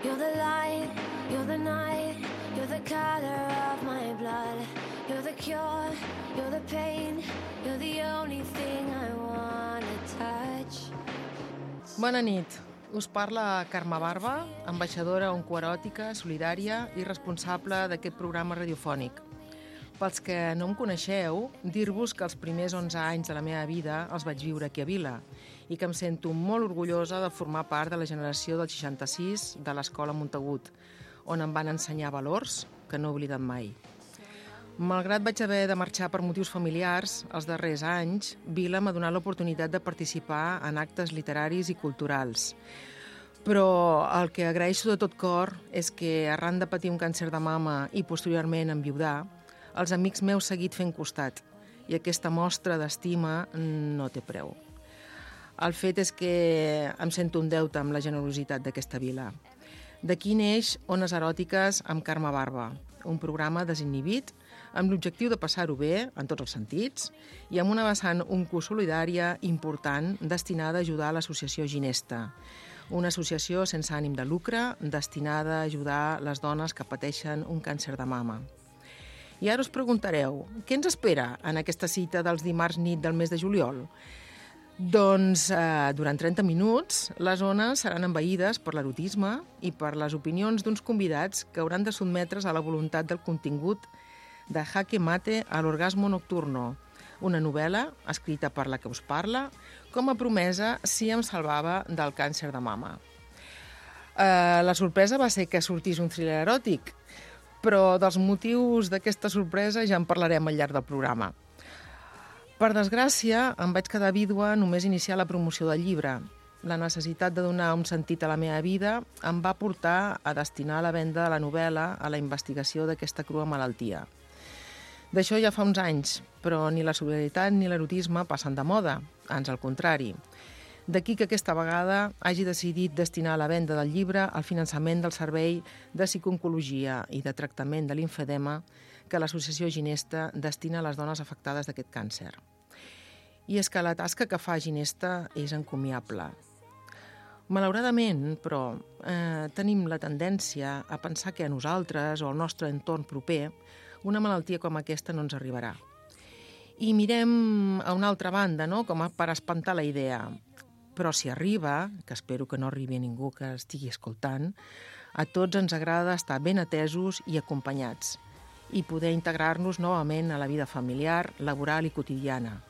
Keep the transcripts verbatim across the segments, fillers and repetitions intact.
You're the light, you're the night, you're the color of my blood. You're the cure, you're the pain, you're the only thing I wanna touch. Bona nit. Us parla Carme Barba, ambaixadora oncoeròtica, solidària i responsable d'aquest programa radiofònic. Pels que no em coneixeu, dir-vos que els primers onze anys de la meva vida els vaig viure aquí a Vila i que em sento molt orgullosa de formar part de la generació del seixanta-sis de l'Escola Montagut, on em van ensenyar valors que no he oblidat mai. Malgrat vaig haver de marxar per motius familiars, els darrers anys, Vila m'ha donat l'oportunitat de participar en actes literaris i culturals. Però el que agraeixo de tot cor és que, arran de patir un càncer de mama i posteriorment enviudar, els amics m'heu seguit fent costat i aquesta mostra d'estima no té preu. El fet és que em sento un deute amb la generositat d'aquesta vila. D'aquí neix Ones Eròtiques amb Carme Barba, un programa desinhibit amb l'objectiu de passar-ho bé, en tots els sentits, i amb una vessant oncosolidària important destinada a ajudar a l'associació Ginesta, una associació sense ànim de lucre destinada a ajudar les dones que pateixen un càncer de mama. I ara us preguntareu, què ens espera en aquesta cita dels dimarts nit del mes de juliol? Doncs eh, durant trenta minuts les ones seran envaïdes per l'erotisme i per les opinions d'uns convidats que hauran de sotmetre's a la voluntat del contingut de Jaque Mate a l'orgasmo nocturno, una novel·la escrita per la que us parla com a promesa si em salvava del càncer de mama. Eh, la sorpresa va ser que sortís un thriller eròtic, però dels motius d'aquesta sorpresa ja en parlarem al llarg del programa. Per desgràcia, em vaig quedar vídua només iniciar la promoció del llibre. La necessitat de donar un sentit a la meva vida em va portar a destinar la venda de la novel·la a la investigació d'aquesta crua malaltia. D'això ja fa uns anys, però ni la solidaritat ni l'erotisme passen de moda, ans al contrari. D'aquí que aquesta vegada hagi decidit destinar la venda del llibre al finançament del servei de psicooncologia i de tractament de limfedema que l'associació Ginesta destina a les dones afectades d'aquest càncer. I és que la tasca que fa Ginesta és encomiable. Malauradament, però, eh, tenim la tendència a pensar que a nosaltres o al nostre entorn proper una malaltia com aquesta no ens arribarà. I mirem a una altra banda, no?, com per espantar la idea. Però si arriba, que espero que no arribi a ningú que estigui escoltant, a tots ens agrada estar ben atesos i acompanyats i poder integrar-nos novament a la vida familiar, laboral i quotidiana.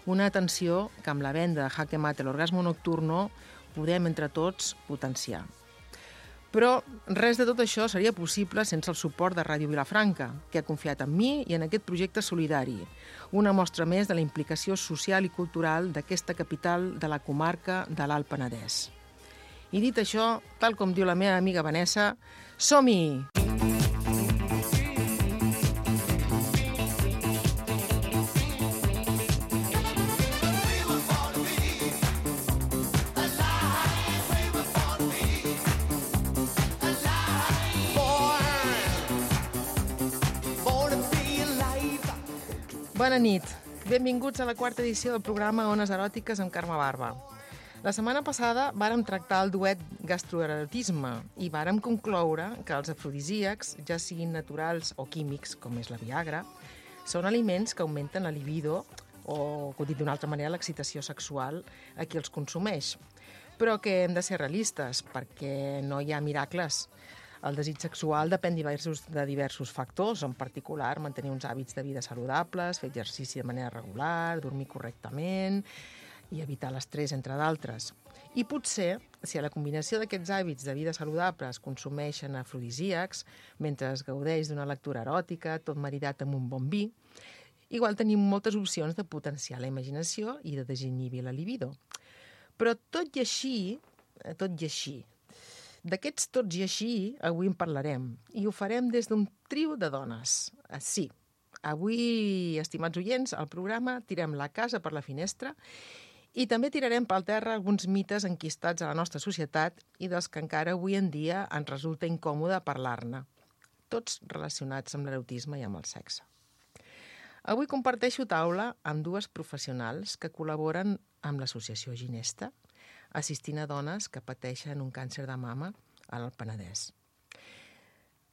Una atenció que amb la venda de Jaque Mate l'orgasmo nocturno podem entre tots potenciar. Però res de tot això seria possible sense el suport de Ràdio Vilafranca, que ha confiat en mi i en aquest projecte solidari, una mostra més de la implicació social i cultural d'aquesta capital de la comarca de l'Alt Penedès. I dit això, tal com diu la meva amiga Vanessa, som-hi! Bona nit. Benvinguts a la quarta edició del programa Ones Eròtiques amb Carme Barba. La setmana passada vàrem tractar el duet gastroerotisme i vàrem concloure que els afrodisíacs, ja siguin naturals o químics, com és la Viagra, són aliments que augmenten la libido o, dit d'una altra manera, l'excitació sexual a qui els consumeix. Però que hem de ser realistes, perquè no hi ha miracles. El desig sexual depèn diversos, de diversos factors, en particular mantenir uns hàbits de vida saludables, fer exercici de manera regular, dormir correctament i evitar l'estrès, entre d'altres. I potser, si a la combinació d'aquests hàbits de vida saludables consumeixen afrodisíacs, mentre es gaudeix d'una lectura eròtica, tot maridat amb un bon vi, igual tenim moltes opcions de potenciar la imaginació i de desinhibir la libido. Però tot i així, tot i així, d'aquests tots i així, avui en parlarem, i ho farem des d'un trio de dones. Sí, avui, estimats oients, al programa tirem la casa per la finestra i també tirarem pel terra alguns mites enquistats a la nostra societat i dels que encara avui en dia ens resulta incòmode parlar-ne, tots relacionats amb l'erotisme i amb el sexe. Avui comparteixo taula amb dues professionals que col·laboren amb l'associació Ginesta, assistint a dones que pateixen un càncer de mama al Penedès.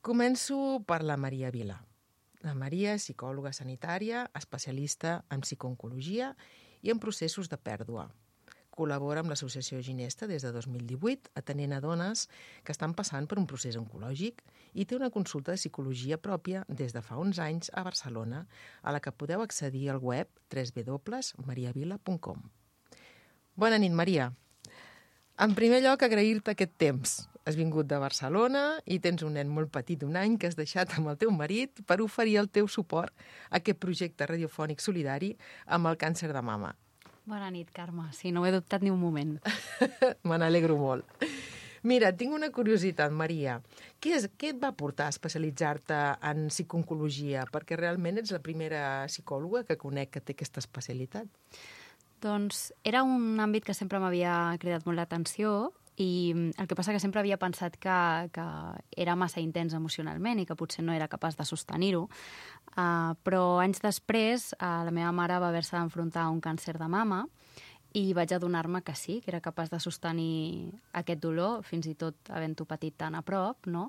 Començo per la Maria Vila. La Maria és psicòloga sanitària, especialista en psicooncologia i en processos de pèrdua. Col·labora amb l'Associació Ginesta des de dos mil divuit, atenent a dones que estan passant per un procés oncològic i té una consulta de psicologia pròpia des de fa uns anys a Barcelona, a la que podeu accedir al web w w w punt maria vila punt com. Bona nit, Maria. En primer lloc, agrair-te aquest temps. Has vingut de Barcelona i tens un nen molt petit d'un any que has deixat amb el teu marit per oferir el teu suport a aquest projecte radiofònic solidari amb el càncer de mama. Bona nit, Carme. Sí, no ho he dubtat ni un moment. Me n'alegro molt. Mira, tinc una curiositat, Maria. Què, és, què et va portar a especialitzar-te en psicooncologia? Perquè realment ets la primera psicòloga que conec que té aquesta especialitat. Doncs era un àmbit que sempre m'havia cridat molt l'atenció i el que passa que sempre havia pensat que, que era massa intens emocionalment i que potser no era capaç de sostenir-ho. Uh, però anys després uh, la meva mare va haver-se d'enfrontar a un càncer de mama i vaig adonar-me que sí, que era capaç de sostenir aquest dolor, fins i tot havent-ho patit tan a prop, no?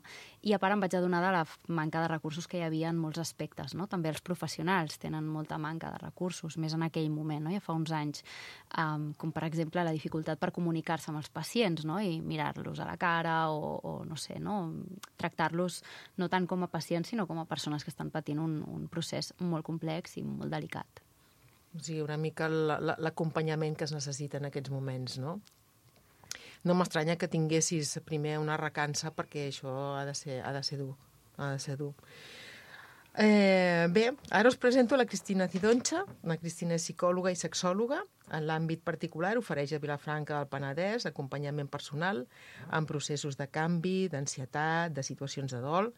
I a part em vaig adonar de la manca de recursos que hi havia en molts aspectes, no? També els professionals tenen molta manca de recursos, més en aquell moment, no? Ja fa uns anys, um, com per exemple la dificultat per comunicar-se amb els pacients, no? I mirar-los a la cara o, o no sé, no? Tractar-los no tant com a pacients, sinó com a persones que estan patint un, un procés molt complex i molt delicat. O sigui, una mica l'acompanyament que es necessita en aquests moments, no? No m'estranya que tinguessis primer una recança perquè això ha de ser, ha de ser dur. Ha de ser dur. Eh, bé, ara us presento la Cristina Cidoncha. La Cristina és psicòloga i sexòloga. En l'àmbit particular ofereix a Vilafranca del Penedès acompanyament personal en processos de canvi, d'ansietat, de situacions de dol.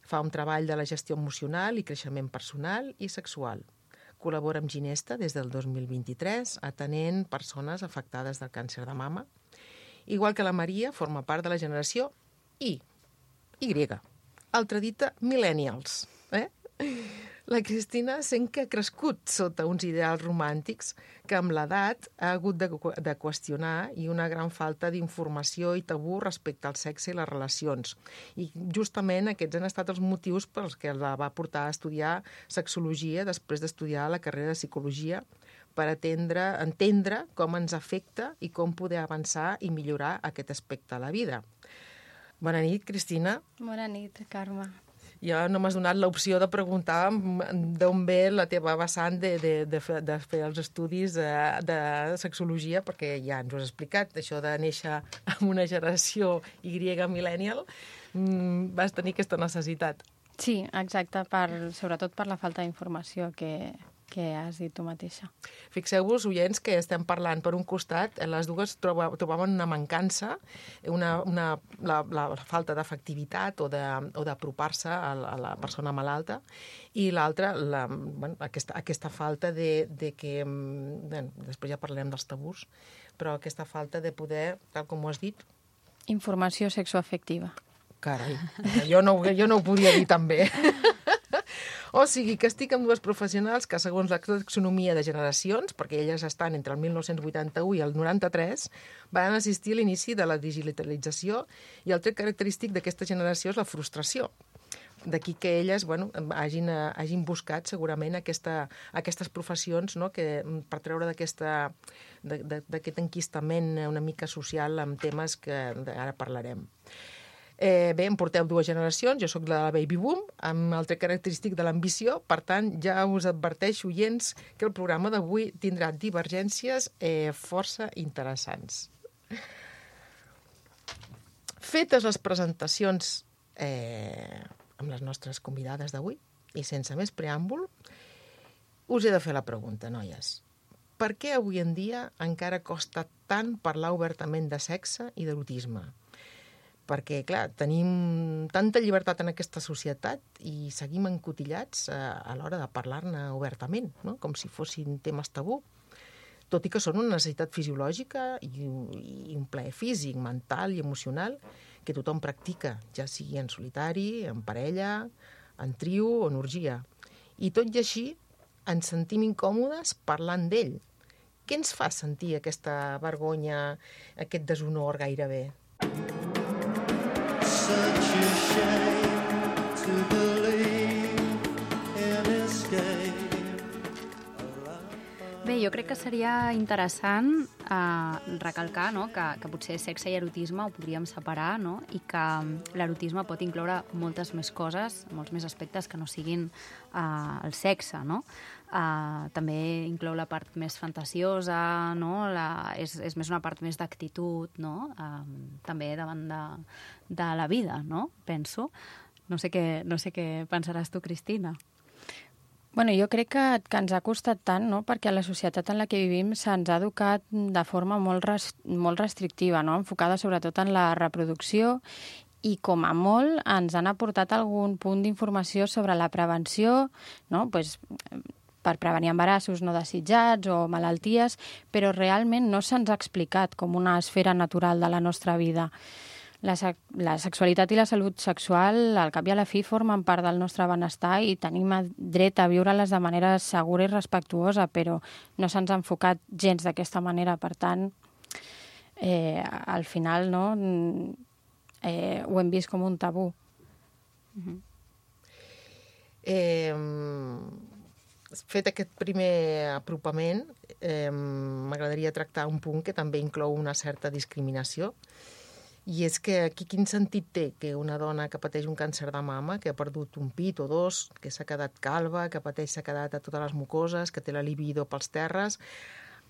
Fa un treball de la gestió emocional i creixement personal i sexual. Col·labora amb Ginesta des del dos mil vint-i-tres, atenent persones afectades del càncer de mama. Igual que la Maria, forma part de la generació I, Y, altra dita, millennials. Eh? La Cristina sent que ha crescut sota uns ideals romàntics que amb l'edat ha hagut de, de qüestionar i una gran falta d'informació i tabú respecte al sexe i les relacions. I justament aquests han estat els motius pels que la va portar a estudiar sexologia després d'estudiar la carrera de psicologia per atendre, entendre com ens afecta i com poder avançar i millorar aquest aspecte de la vida. Bona nit, Cristina. Bona nit, Carme. Ja no m'has donat l'opció de preguntar d'on ve la teva vessant de, de, de, fer, de fer els estudis de, de sexologia, perquè ja ens ho has explicat, això de néixer en una generació Y millennial, mmm, vas tenir aquesta necessitat. Sí, exacte, per, sobretot per la falta d'informació que, que has dit tu mateixa. Fixeu-vos, oients, que estem parlant per un costat, les dues troba, trobaven una mancança, una, una, la, la falta d'efectivitat o d'apropar-se a, a la persona malalta, i l'altra, la, bueno, aquesta, aquesta falta de, de que, bueno, després ja parlarem dels tabús, però aquesta falta de poder, tal com ho has dit... Informació sexoafectiva. Carai, jo no, jo no ho podia dir tan bé. O sigui, que estic amb dues professionals que, segons la taxonomia de generacions, perquè elles estan entre el mil nou-cents vuitanta-u i el noranta-tres, van assistir a l'inici de la digitalització i el tret característic d'aquesta generació és la frustració. D'aquí que elles bueno, hagin, hagin buscat segurament aquesta, aquestes professions, no? Que, per treure d'aquest enquistament una mica social amb temes que ara parlarem. Eh, bé, em porteu dues generacions, jo sóc la baby boom, amb el tret característic de l'ambició, per tant, ja us adverteixo, oients, que el programa d'avui tindrà divergències eh, força interessants. Fetes les presentacions eh, amb les nostres convidades d'avui, i sense més preàmbul, us he de fer la pregunta, noies. Per què avui en dia encara costa tant parlar obertament de sexe i d'erotisme? Perquè, clar, tenim tanta llibertat en aquesta societat i seguim encotillats a, a l'hora de parlar-ne obertament, no? Com si fossin temes tabú, tot i que són una necessitat fisiològica i, i un plaer físic, mental i emocional que tothom practica, ja sigui en solitari, en parella, en trio o en orgia. I tot i així ens sentim incòmodes parlant d'ell. Què ens fa sentir aquesta vergonya, aquest deshonor gairebé? ashamed to believe in escape. Bé, jo crec que seria interessant eh, recalcar no? que, que potser sexe i erotisme ho podríem separar, no? I que l'erotisme pot incloure moltes més coses, molts més aspectes que no siguin eh, el sexe, no? Uh, també inclou la part més fantasiosa, no? la, és, és més una part més d'actitud, no? uh, també davant de, de la vida, no? Penso. No sé què, no sé què pensaràs tu, Cristina. Bueno, jo crec que, que ens ha costat tant, no? Perquè la societat en la que vivim se'ns ha educat de forma molt, res, molt restrictiva, no? Enfocada sobretot en la reproducció, i com a molt ens han aportat algun punt d'informació sobre la prevenció, no? Pues, per prevenir embarassos no desitjats o malalties, però realment no se'ns ha explicat com una esfera natural de la nostra vida. La, la sexualitat i la salut sexual, al cap i a la fi, formen part del nostre benestar i tenim dret a viure-les de manera segura i respectuosa, però no se'ns ha enfocat gens d'aquesta manera. Per tant, eh, al final no, eh, ho hem vist com un tabú. Uh-huh. Eh... Fet aquest primer apropament, eh, m'agradaria tractar un punt que també inclou una certa discriminació, i és que aquí quin sentit té que una dona que pateix un càncer de mama, que ha perdut un pit o dos, que s'ha quedat calva, que pateix s'ha quedat a totes les mucoses, que té la libido pels terres,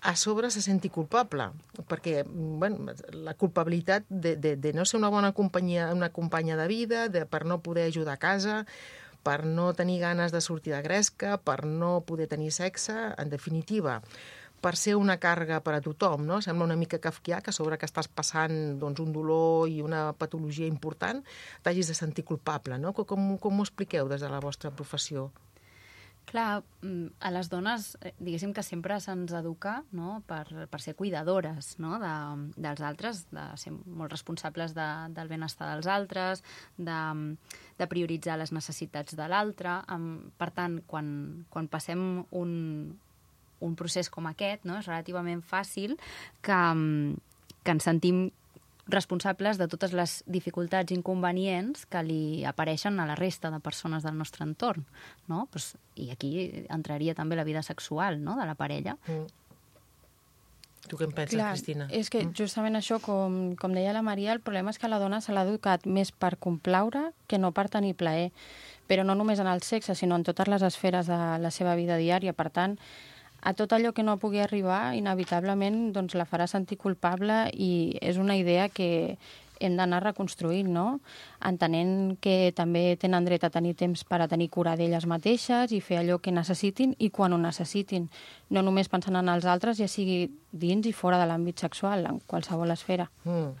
a sobre se senti culpable, perquè bueno, la culpabilitat de, de, de no ser una bona companyia, una companya de vida, de, per no poder ajudar a casa, per no tenir ganes de sortir de gresca, per no poder tenir sexe, en definitiva, per ser una càrrega per a tothom, no? Sembla una mica kafkià que a sobre que estàs passant doncs, un dolor i una patologia important t'hagis de sentir culpable, no? Com, com ho expliqueu des de la vostra professió? Clar, a les dones, diguéssim que sempre se'ns educa, no? per, per ser cuidadores, no? de, dels altres, de ser molt responsables de, del benestar dels altres, de, de prioritzar les necessitats de l'altre. Per tant, quan, quan passem un, un procés com aquest, no? És relativament fàcil que, que ens sentim responsables de totes les dificultats i inconvenients que li apareixen a la resta de persones del nostre entorn, no? Pues, i aquí entraria també la vida sexual, no?, de la parella. Mm. Tu què en penses, Clar, Cristina? És que justament això, com, com deia la Maria, el problema és que la dona se l'ha educat més per complaure que no per tenir plaer, però no només en el sexe, sinó en totes les esferes de la seva vida diària. Per tant, a tot allò que no pugui arribar, inevitablement doncs, la farà sentir culpable, i és una idea que hem d'anar reconstruint, no? Entenent que també tenen dret a tenir temps per a tenir cura d'elles mateixes i fer allò que necessitin i quan ho necessitin. No només pensant en els altres, ja sigui dins i fora de l'àmbit sexual, en qualsevol esfera. Mm.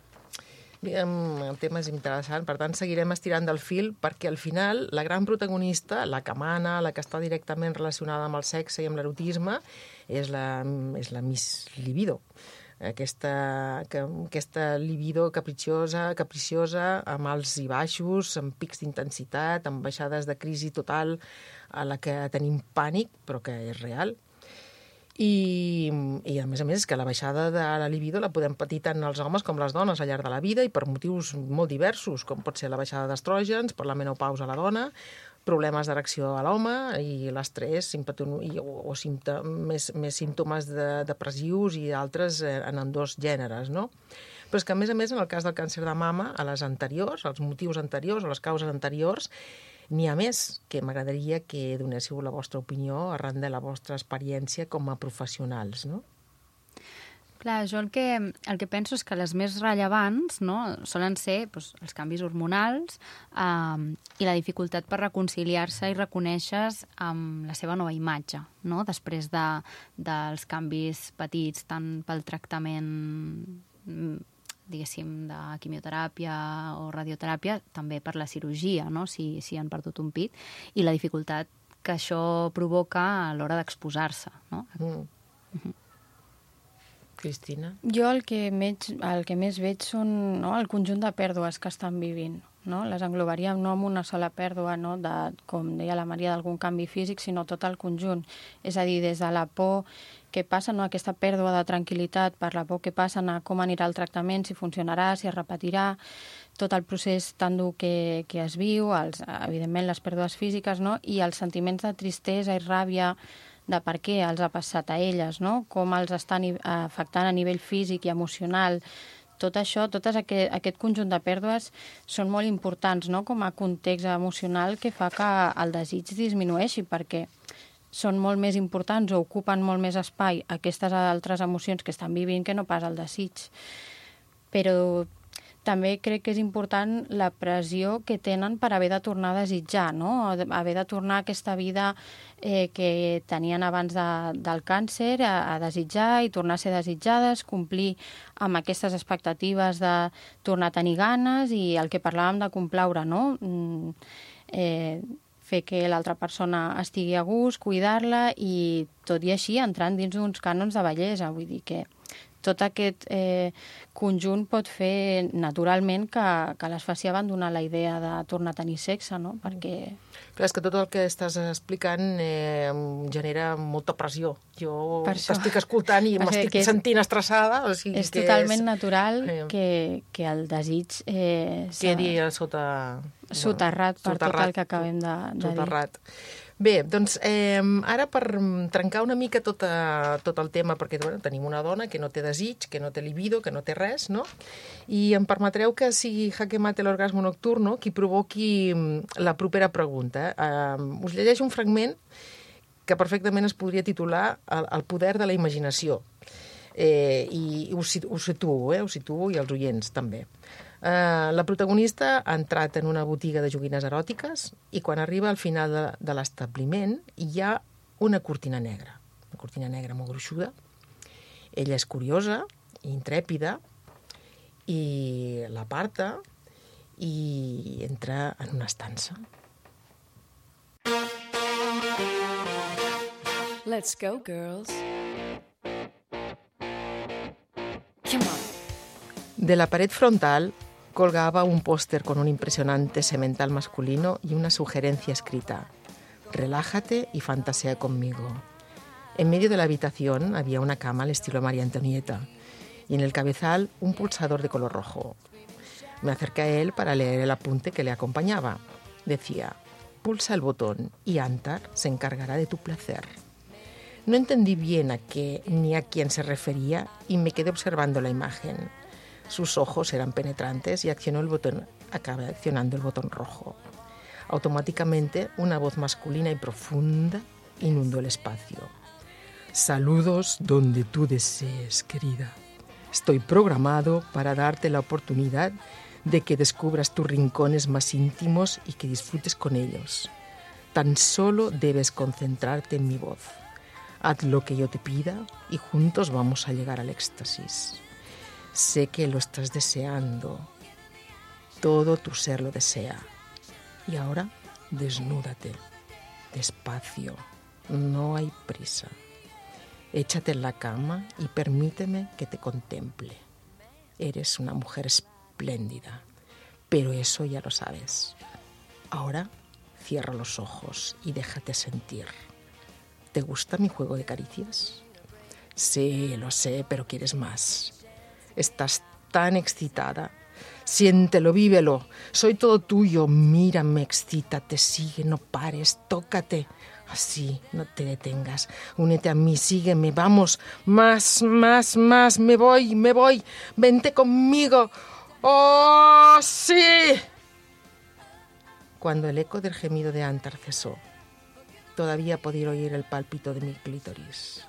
El tema és interessant, per tant seguirem estirant del fil, perquè al final la gran protagonista, la que mana, la que està directament relacionada amb el sexe i amb l'erotisme, és la, és la Miss Libido. Aquesta, que, aquesta libido capriciosa, capriciosa, amb alts i baixos, amb pics d'intensitat, amb baixades de crisi total a la que tenim pànic, però que és real. I, i a més a més és que la baixada de la libido la podem patir tant els homes com les dones al llarg de la vida i per motius molt diversos, com pot ser la baixada d'estrògens, per la menopausa a la dona, problemes d'erecció a l'home i l'estrès o, o símptom, més, més símptomes de, depressius i altres en ambdós gèneres, no? Però és que a més a més en el cas del càncer de mama, a les anteriors, als motius anteriors o les causes anteriors, n'hi ha més, que m'agradaria que donéssiu la vostra opinió arran de la vostra experiència com a professionals, no? Clar, jo el que, el que penso és que les més rellevants, no, solen ser doncs, els canvis hormonals eh, i la dificultat per reconciliar-se i reconèixer amb la seva nova imatge, no? Després de, dels canvis petits tant pel tractament diguéssim, de quimioteràpia o radioteràpia, també per la cirurgia, no? si, si han perdut un pit, i la dificultat que això provoca a l'hora d'exposar-se, no? Mm. Mm-hmm. Cristina? Jo el que, veig, el que més veig són no, el conjunt de pèrdues que estan vivint. No? Les englobaríem no amb una sola pèrdua, no? De, com deia la Maria, d'algun canvi físic, sinó tot el conjunt. És a dir, des de la por què passa, no? Aquesta pèrdua de tranquil·litat per la por que passen a com anirà el tractament, si funcionarà, si es repetirà, tot el procés tan dur que, que es viu, els, evidentment les pèrdues físiques, no? I els sentiments de tristesa i ràbia de per què els ha passat a elles, no? Com els estan afectant a nivell físic i emocional. Tot això, tot aquest, aquest conjunt de pèrdues són molt importants, no? Com a context emocional que fa que el desig disminueixi, perquè són molt més importants o ocupen molt més espai aquestes altres emocions que estan vivint que no pas el desig. Però també crec que és important la pressió que tenen per haver de tornar a desitjar, no? Haver de tornar a aquesta vida eh, que tenien abans de, del càncer, a, a desitjar i tornar a ser desitjades, complir amb aquestes expectatives de tornar a tenir ganes i el que parlàvem de complaure, no? Mm, eh, fer que l'altra persona estigui a gust, cuidar-la i tot i així entrant dins d'uns cànons de bellesa. Vull dir que tot aquest eh, conjunt pot fer naturalment que, que les faci abandonar la idea de tornar a tenir sexe, no? Perquè... Clar, és que tot el que estàs explicant eh, em genera molta pressió. Jo t'estic escoltant i m'estic és, sentint estressada. O sigui, és que totalment és, natural eh, que, que el desig eh, quedi sota... soterrat per soterrat, tot el que acabem de, de soterrat. dir. Bé, doncs eh, ara per trencar una mica tot, a, tot el tema, perquè bueno, tenim una dona que no té desig, que no té libido, que no té res, no? I em permetreu que sigui Jaque Mate l'orgasmo nocturno qui provoqui la propera pregunta. Eh, us llegeixo un fragment que perfectament es podria titular El, el poder de la imaginació. Eh, I us, us situo, eh, us situo i els oients també. Uh, la protagonista ha entrat en una botiga de joguines eròtiques i quan arriba al final de, de l'establiment hi ha una cortina negra, una cortina negra molt gruixuda. Ella és curiosa, intrèpida, i l'aparta i entra en una estança. Let's go, girls. Come on. De la pared frontal colgaba un póster con un impresionante semental masculino y una sugerencia escrita: relájate y fantasea conmigo. En medio de la habitación había una cama al estilo María Antonieta y en el cabezal un pulsador de color rojo. Me acerqué a él para leer el apunte que le acompañaba. Decía: pulsa el botón y Antar se encargará de tu placer. No entendí bien a qué ni a quién se refería y me quedé observando la imagen. Sus ojos eran penetrantes y accionó el botón, acabé accionando el botón rojo. Automáticamente, una voz masculina y profunda inundó el espacio. Saludos donde tú desees, querida. Estoy programado para darte la oportunidad de que descubras tus rincones más íntimos y que disfrutes con ellos. Tan solo debes concentrarte en mi voz. Haz lo que yo te pida y juntos vamos a llegar al éxtasis. Sé que lo estás deseando. Todo tu ser lo desea. Y ahora, desnúdate. Despacio. No hay prisa. Échate en la cama y permíteme que te contemple. Eres una mujer espléndida, pero eso ya lo sabes. Ahora, cierra los ojos y déjate sentir. ¿Te gusta mi juego de caricias? Sí, lo sé, pero quieres más. Estás tan excitada. Siéntelo, vívelo. Soy todo tuyo. Mírame, excítate, sigue, no pares, tócate. Así, no te detengas. Únete a mí, sígueme, vamos. Más, más, más. Me voy, me voy. Vente conmigo. ¡Oh, sí! Cuando el eco del gemido de Antar cesó, todavía podía oír el pálpito de mi clítoris.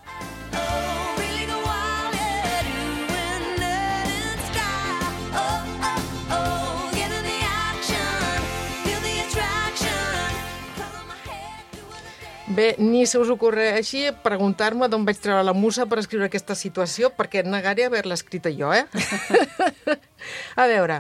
Bé, ni se us ocorreixi preguntar-me d'on vaig treure la musa per escriure aquesta situació, perquè negaré haver-la escrita jo, eh? A veure,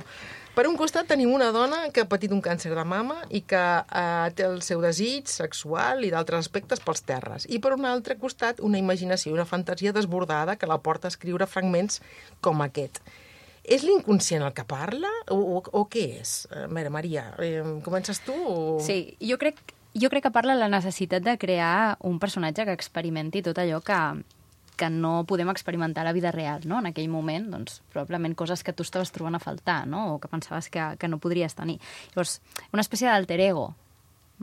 per un costat tenim una dona que ha patit un càncer de mama i que eh, té el seu desig sexual i d'altres aspectes pels terres. I per un altre costat, una imaginació i una fantasia desbordada que la porta a escriure fragments com aquest. És l'inconscient el que parla o, o, o què és? A veure, Maria, eh, comences tu? O... Sí, jo crec... Jo crec que parla de la necessitat de crear un personatge que experimenti tot allò que, que no podem experimentar a la vida real, no? En aquell moment, doncs, probablement coses que tu estaves trobant a faltar, no? O que pensaves que, que no podries tenir. Llavors, una espècie d'alter ego,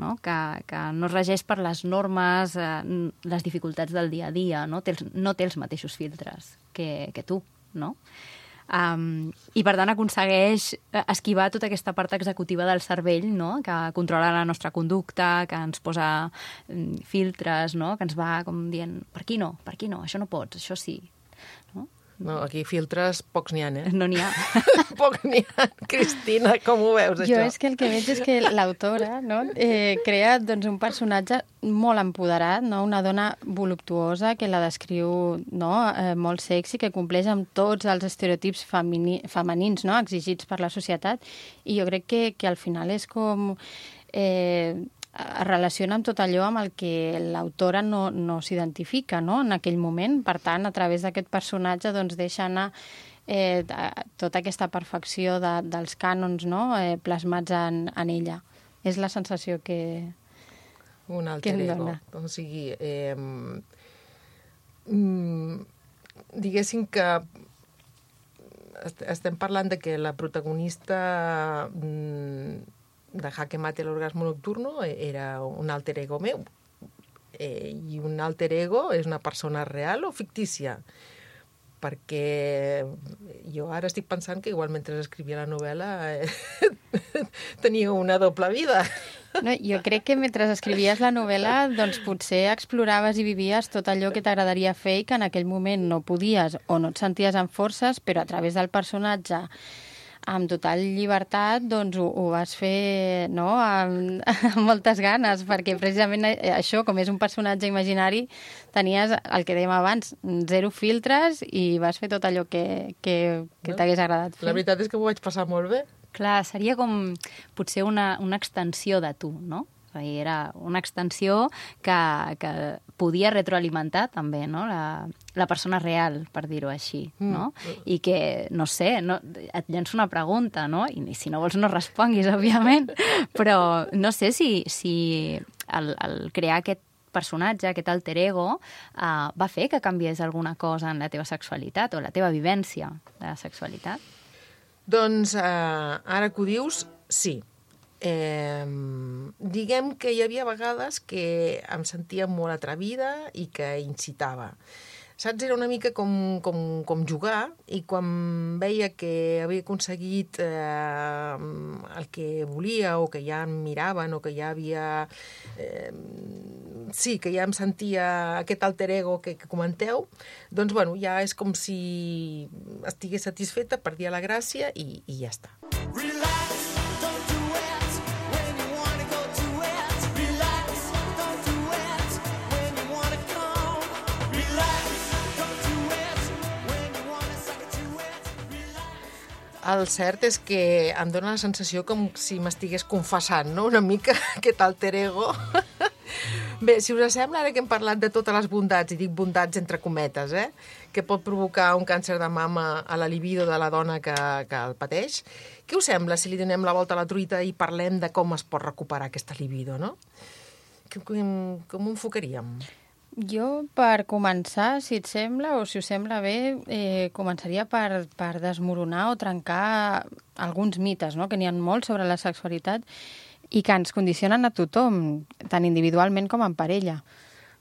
no? Que, que no es regeix per les normes, eh, les dificultats del dia a dia, no té els, no té els mateixos filtres que, que tu, no? Um, I, per tant, aconsegueix esquivar tota aquesta part executiva del cervell, no? Que controla la nostra conducta, que ens posa um, filtres, no? Que ens va com dient, per aquí no, per aquí no, això no pots, això sí. No? No, aquí filtres pocs n'hi ha, eh? No n'hi ha. Pocs n'hi ha. Cristina, com ho veus, Jo això? és que el que veig és que l'autora, no, eh, crea doncs, un personatge molt empoderat, no? Una dona voluptuosa que la descriu, no, eh, molt sexy, que compleix amb tots els estereotips femini, femenins, no, exigits per la societat, i jo crec que, que al final és com... Eh, es relaciona amb tot allò amb el que l'autora no, no s'identifica, no?, en aquell moment. Per tant, a través d'aquest personatge doncs, deixa anar eh, tota aquesta perfecció de, dels cànons, no?, eh, plasmats en, en ella. És la sensació que, Un que alter em ego. dona. O sigui, eh, mm, diguéssim que est- estem parlant de que la protagonista mm, de Jaque Mate l'orgasmo nocturno era un alter ego meu. Eh, I un alter ego és una persona real o fictícia? Perquè jo ara estic pensant que igual mentre escrivia la novel·la eh, tenia una doble vida. No, jo crec que mentre escrivies la novel·la doncs potser exploraves i vivies tot allò que t'agradaria fer i que en aquell moment no podies o no et senties amb forces, però a través del personatge amb total llibertat, doncs ho, ho vas fer, no?, amb, amb moltes ganes, perquè precisament això, com és un personatge imaginari, tenies el que dèiem abans, zero filtres i vas fer tot allò que, que, que No? t'hagués agradat fer. La veritat és que ho vaig passar molt bé. Clar, seria com potser una, una extensió de tu, no? És a dir, era una extensió que, que podia retroalimentar també, no?, la, la persona real, per dir-ho així, no? Mm. I que, no sé, no, et llenço una pregunta, no? I si no vols no responguis, òbviament, però no sé si, si el, el crear aquest personatge, aquest alter ego, uh, va fer que canviés alguna cosa en la teva sexualitat o la teva vivència de la sexualitat? Doncs, eh, ara que ho dius, sí. Eh, diguem que hi havia vegades que em sentia molt atrevida i que incitava. Saps? Era una mica com, com, com jugar, i quan veia que havia aconseguit eh, el que volia o que ja em miraven o que ja havia... Eh, sí, que ja em sentia aquest alter ego que, que comenteu, doncs, bueno, ja és com si estigués satisfeta, perdia la gràcia i, i ja està. Relax, don't do it when you wanna go to it. Relax, don't do it when you wanna come. Relax, don't do it when you wanna suck it to it. Relax. El cert és que em dóna la sensació com si m'estigués confessant, no?, una mica aquest alter ego. Bé, si us sembla, ara que hem parlat de totes les bondats, i dic bondats entre cometes, eh, que pot provocar un càncer de mama a la libido de la dona que, que el pateix, què us sembla si li donem la volta a la truita i parlem de com es pot recuperar aquesta libido, no? Com, com ho enfocaríem? Jo, per començar, si et sembla, o si us sembla bé, eh, començaria per, per desmoronar o trencar alguns mites, no?, que n'hi ha molts sobre la sexualitat i que ens condicionen a tothom, tant individualment com en parella.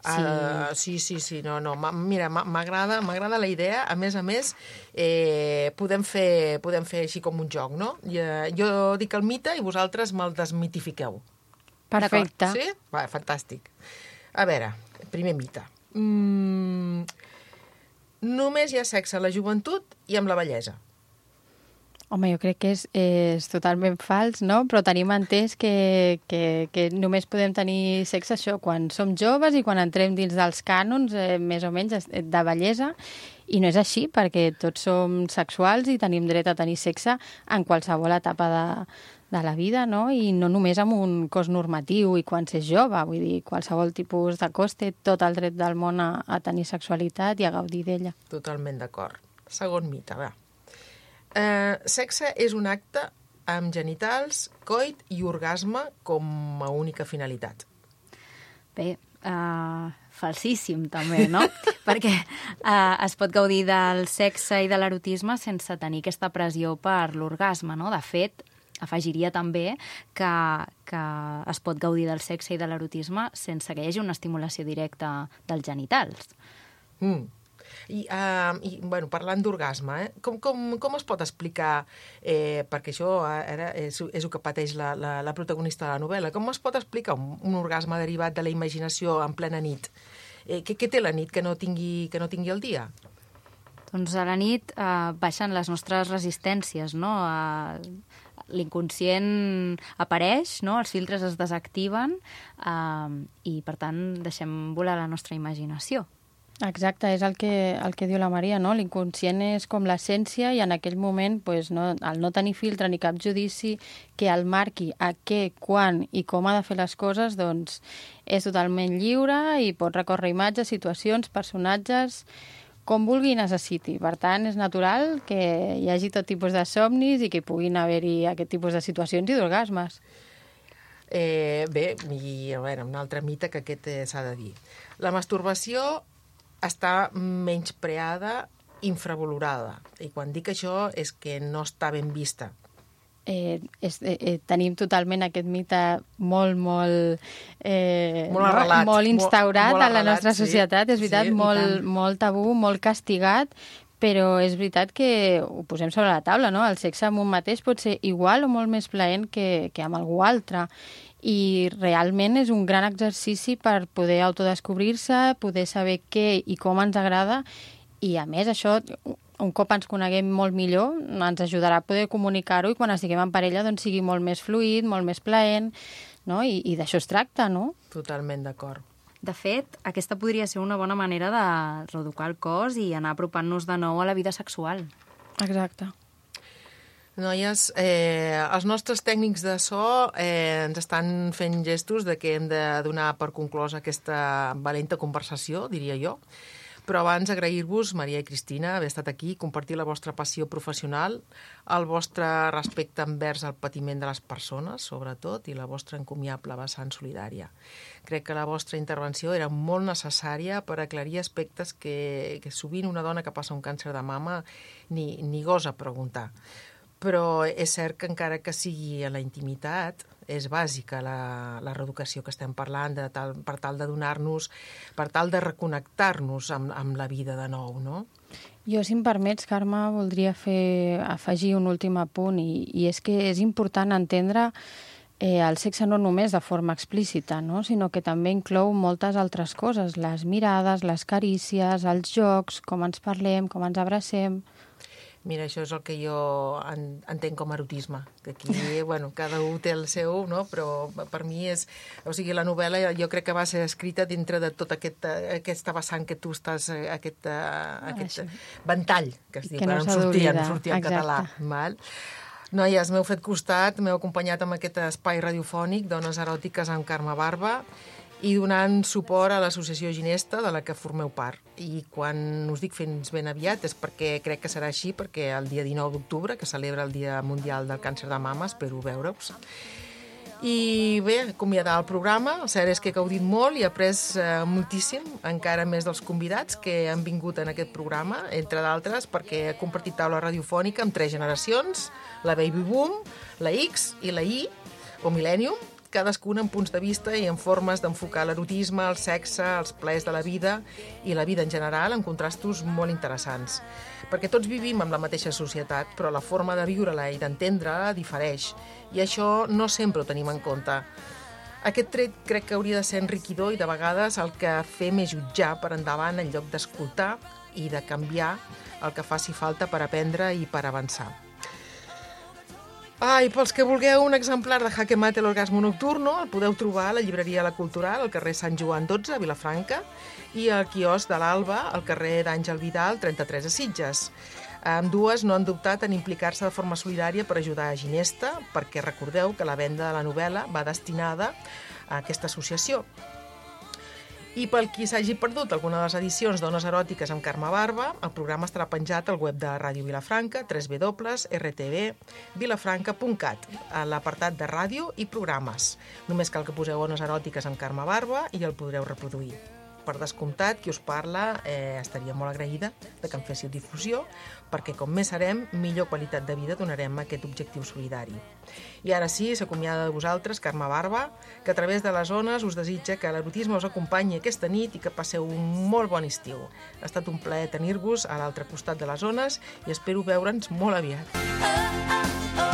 Sí, uh, sí, sí, sí, no, no. Mira, m'agrada m'agrada la idea. A més a més, eh, podem, fer, podem fer així com un joc, no? I, eh, jo dic el mite i vosaltres me'l desmitifiqueu. Perfecte. Sí? Va, fantàstic. A veure, primer mite. Mm, només hi ha sexe a la joventut i amb la vellesa. Home, jo crec que és, és totalment fals, no? Però tenim entès que, que, que només podem tenir sexe això quan som joves i quan entrem dins dels cànons, eh, més o menys, de bellesa. I no és així, perquè tots som sexuals i tenim dret a tenir sexe en qualsevol etapa de, de la vida, no? I no només amb un cos normatiu i quan s'és jove. Vull dir, qualsevol tipus de cos té tot el dret del món a, a tenir sexualitat i a gaudir d'ella. Totalment d'acord. Segon mite, va. Eh, sexe és un acte amb genitals, coit i orgasme com a única finalitat. Bé, uh, falsíssim, també, no? Perquè eh, es pot gaudir del sexe i de l'erotisme sense tenir aquesta pressió per l'orgasme, no? De fet, afegiria també que, que es pot gaudir del sexe i de l'erotisme sense que hi hagi una estimulació directa dels genitals. Mm. I, uh, i bueno, parlant d'orgasme, eh? com, com, com es pot explicar, eh, perquè això ara és, és el que pateix la, la, la protagonista de la novel·la, com es pot explicar un, un orgasme derivat de la imaginació en plena nit? Eh, què, què té la nit que no tingui, que no tingui el dia? Doncs a la nit eh, baixen les nostres resistències, no? Eh, l'inconscient apareix, no? Els filtres es desactiven eh, i, per tant, deixem volar la nostra imaginació. Exacte, és el que, el que diu la Maria, no? L'inconscient és com l'essència i en aquell moment, pues, no, al no tenir filtre ni cap judici que el marqui a què, quan i com ha de fer les coses, doncs és totalment lliure i pot recórrer imatges, situacions, personatges, com vulgui i necessiti. Per tant, és natural que hi hagi tot tipus de somnis i que puguin haver-hi aquest tipus de situacions i d'orgasmes. Eh, bé, i a veure, un altre mite que aquest eh, s'ha de dir. La masturbació està menyspreada, infravalorada. I quan dic això és que no està ben vista. Eh, és, eh, eh, tenim totalment aquest mite molt, molt... Eh, molt arrelat. No? Molt instaurat molt, molt a la arrelat, nostra societat, sí, és veritat, sí, molt, molt tabú, molt castigat, però és veritat que ho posem sobre la taula, no? El sexe amb un mateix pot ser igual o molt més plaent que, que amb algú altre. I realment és un gran exercici per poder autodescobrir-se, poder saber què i com ens agrada, i a més això, un cop ens coneguem molt millor, ens ajudarà a poder comunicar-ho i quan estiguem en parella doncs sigui molt més fluid, molt més plaent, no? I, i d'això es tracta, no? Totalment d'acord. De fet, aquesta podria ser una bona manera de reeducar el cos i anar apropant-nos de nou a la vida sexual. Exacte. Noies, eh, els nostres tècnics de so eh, ens estan fent gestos de que hem de donar per conclosa aquesta valenta conversació, diria jo. Però abans agrair-vos, Maria i Cristina, haver estat aquí, compartir la vostra passió professional, el vostre respecte envers el patiment de les persones, sobretot, i la vostra encomiable vessant solidària. Crec que la vostra intervenció era molt necessària per aclarir aspectes que, que sovint una dona que passa un càncer de mama ni, ni gosa preguntar. Però és cert que encara que sigui a la intimitat, és bàsica la, la reeducació que estem parlant de tal, per tal de donar-nos, per tal de reconnectar-nos amb, amb la vida de nou, no? Jo, si em permets, Carme, voldria fer, afegir un últim apunt, i, i és que és important entendre eh, el sexe no només de forma explícita, no? Sinó que també inclou moltes altres coses, les mirades, les carícies, els jocs, com ens parlem, com ens abracem. Mira, això és el que jo en, entenc com a erotisme, que aquí, bueno, cada un té el seu, no? Però per mi és... O sigui, la novel·la jo crec que va ser escrita dintre de tota aquest, aquesta vessant que tu estàs, aquest, uh, aquest Així. ventall, que es diu, Que que no no s'ha sortia, no d'oblidar, sortia en català. Val? Noies, m'heu fet costat, m'heu acompanyat amb aquest espai radiofònic, Dones eròtiques amb Carme Barba, i donant suport a l'associació Ginesta, de la que formeu part. I quan us dic fins ben aviat és perquè crec que serà així, perquè el dia dinou d'octubre, que celebra el Dia Mundial del Càncer de Mama, espero veure-us. I bé, acomiadar el programa, el cert és que he gaudit molt i he après eh, moltíssim, encara més dels convidats que han vingut en aquest programa, entre d'altres, perquè he compartit taula radiofònica amb tres generacions, la Baby Boom, la X i la Y, o Millennium, cadascuna amb punts de vista i en formes d'enfocar l'erotisme, el sexe, els plaers de la vida i la vida en general en contrastos molt interessants. Perquè tots vivim en la mateixa societat, però la forma de viure-la i d'entendre-la difereix, i això no sempre ho tenim en compte. Aquest tret crec que hauria de ser enriquidor i de vegades el que fem és jutjar per endavant en lloc d'escoltar i de canviar el que faci falta per aprendre i per avançar. Ah, i pels que vulgueu un exemplar de Jaque Mate l'orgasmo nocturno, el podeu trobar a la llibreria La Cultural, al carrer Sant Joan dotze, a Vilafranca, i al quiosc de l'Alba, al carrer d'Àngel Vidal, trenta-tres, a Sitges. Ambdues no han dubtat en implicar-se de forma solidària per ajudar a Ginesta, perquè recordeu que la venda de la novel·la va destinada a aquesta associació. I pel qui s'hagi perdut alguna de les edicions Dones eròtiques amb Carme Barba, el programa estarà penjat al web de Ràdio Vilafranca, w w w punt r t v vilafranca punt cat, a l'apartat de ràdio i programes. Només cal que poseu Dones eròtiques amb Carme Barba i el podreu reproduir. per descomptat, qui us parla eh, estaria molt agraïda de que em féssiu difusió, perquè com més serem, millor qualitat de vida donarem a aquest objectiu solidari. I ara sí, s'acomiada de vosaltres, Carme Barba, que a través de les ones us desitja que l'erotisme us acompanyi aquesta nit i que passeu un molt bon estiu. Ha estat un plaer tenir-vos a l'altre costat de les ones i espero veure'ns molt aviat. Oh, oh, oh.